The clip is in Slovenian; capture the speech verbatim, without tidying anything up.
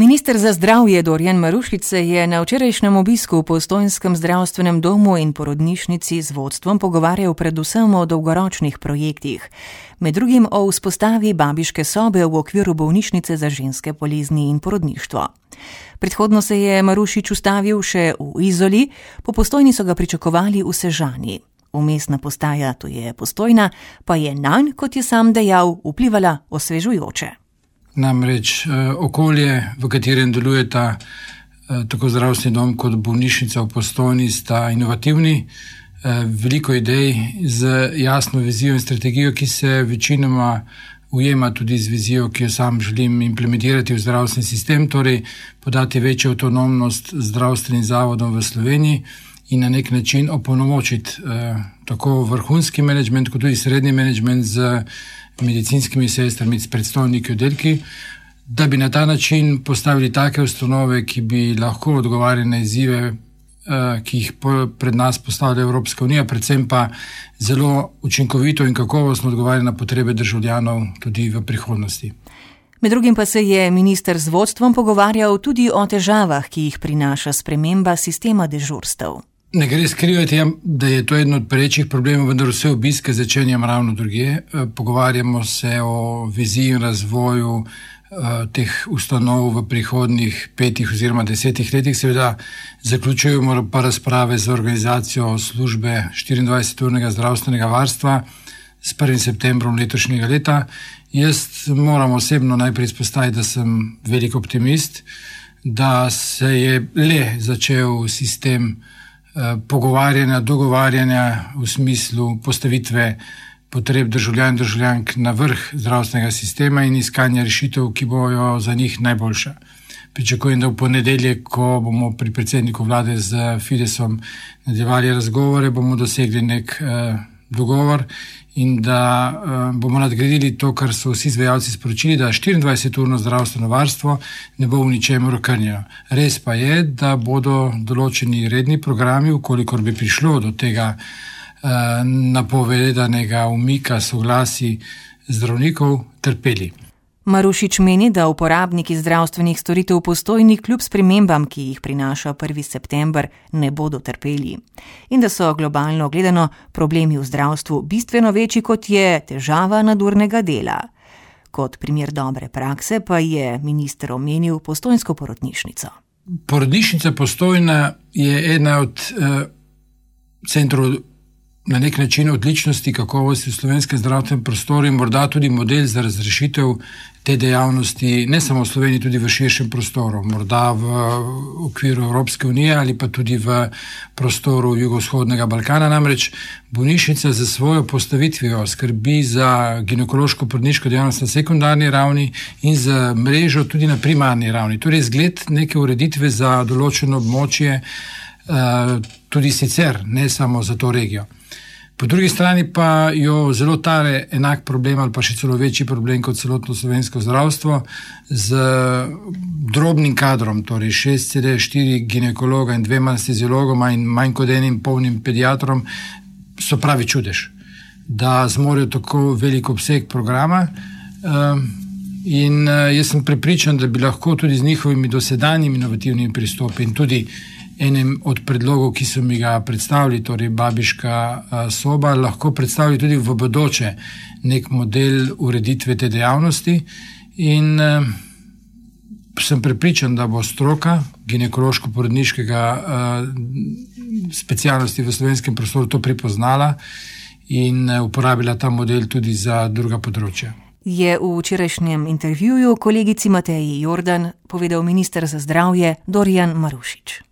Minister za zdravje Dorjan Marušič se je na včerajšnjem obisku v Postojnskem zdravstvenem domu in porodnišnici z vodstvom pogovarjal predvsem o dolgoročnih projektih. Med drugim o vzpostavi babiške sobe v okviru bolnišnice za ženske bolezni in porodništvo. Predhodno se je Marušič ustavil še v Izoli, po Postojni so ga pričakovali v Sežani. Vmesna postaja, to je Postojna, pa je nanj, kot je sam dejal, vplivala osvežujoče. Namreč okolje, v katerem delujeta tako zdravstveni dom kot bolnišnica v Postojni, sta inovativni, veliko idej z jasno vizijo in strategijo, ki se večinoma ujema tudi z vizijo, ki jo sam želim implementirati v zdravstveni sistem, torej podati večjo avtonomnost zdravstvenim zavodom v Sloveniji in na nek način opolnomočiti eh, tako vrhunski menedžment, kot tudi srednji menedžment z medicinskimi sestrami, s predstojniki oddelki, da bi na ta način postavili take ustanove, ki bi lahko odgovarjali na izzive, eh, ki jih po, pred nas postavlja Evropska unija, predvsem pa zelo učinkovito in kakovostno odgovarjali na potrebe državljanov tudi v prihodnosti. Med drugim pa se je minister z vodstvom pogovarjal tudi o težavah, ki jih prinaša sprememba sistema dežurstev. Ne gre skrivati, da je to eden od perečih problemov, vendar vse obiske začenjam ravno drugje. Pogovarjamo se o viziji in razvoju uh, teh ustanov v prihodnjih petih oziroma desetih letih. Seveda zaključujemo pa razprave za organizacijo službe štiriindvajseturnega zdravstvenega varstva s prvim septembrom letošnjega leta. Jaz moram osebno najprej izpostaviti, da sem velik optimist, da se je le začel sistem pogovarjanja, dogovarjanja v smislu postavitve potreb državljanov in državljank na vrh zdravstvenega sistema in iskanja rešitev, ki bojo za njih najboljša. Pričakujem, da v ponedeljek, ko bomo pri predsedniku vlade z Fidesom nadaljevali razgovore, bomo dosegli nek eh, dogovor in da uh, bomo nadgradili to, kar so vsi izvajalci sporočili, da štiriindvajseturno zdravstveno varstvo ne bo v ničemer okrnjeno. Res pa je, da bodo določeni redni programi, ukolikor bi prišlo do tega uh, napovedanega umika soglasij zdravnikov, trpeli. Marušič meni, da uporabniki zdravstvenih storitev v Postojni kljub spremembam, ki jih prinaša prvi september, ne bodo trpeli. In da so globalno gledano problemi v zdravstvu bistveno večji, kot je težava nadurnega dela. Kot primer dobre prakse pa je minister omenil postojnsko porodnišnico. Porodnišnica Postojna je ena od eh, centrov na nek način odličnosti, kakovosti v slovenskem zdravstvenem prostoru in morda tudi model za razrešitev te dejavnosti, ne samo v Sloveniji, tudi v širšem prostoru, morda v okviru Evropske unije ali pa tudi v prostoru jugovzhodnega Balkana. Namreč bolnišnica za svojo postavitvijo skrbi za ginekološko-porodniško dejavnost na sekundarni ravni in za mrežo tudi na primarni ravni. Torej zgled neke ureditve za določeno območje, tudi sicer, ne samo za to regijo. Po drugi strani pa jo zelo tare enak problem ali pa še celo večji problem kot celotno slovensko zdravstvo z drobnim kadrom, torej šest cela štiri ginekologa in dvema anesteziologoma in manj kot enim polnim pediatrom, so pravi čudež, da zmorejo tako velik obseg programa. In jaz sem prepričan, da bi lahko tudi z njihovimi dosedanjimi inovativnimi pristopi in tudi enem od predlogov, ki so mi ga predstavili, torej babiška soba, lahko predstavili tudi v bodoče nek model ureditve te dejavnosti. In eh, sem prepričan, da bo stroka ginekološko-porodniškega eh, specialnosti v slovenskem prostoru to pripoznala in eh, uporabila ta model tudi za druga področja. Je v včerajšnjem intervjuju kolegici Mateji Jordan povedal minister za zdravje Dorjan Marušič.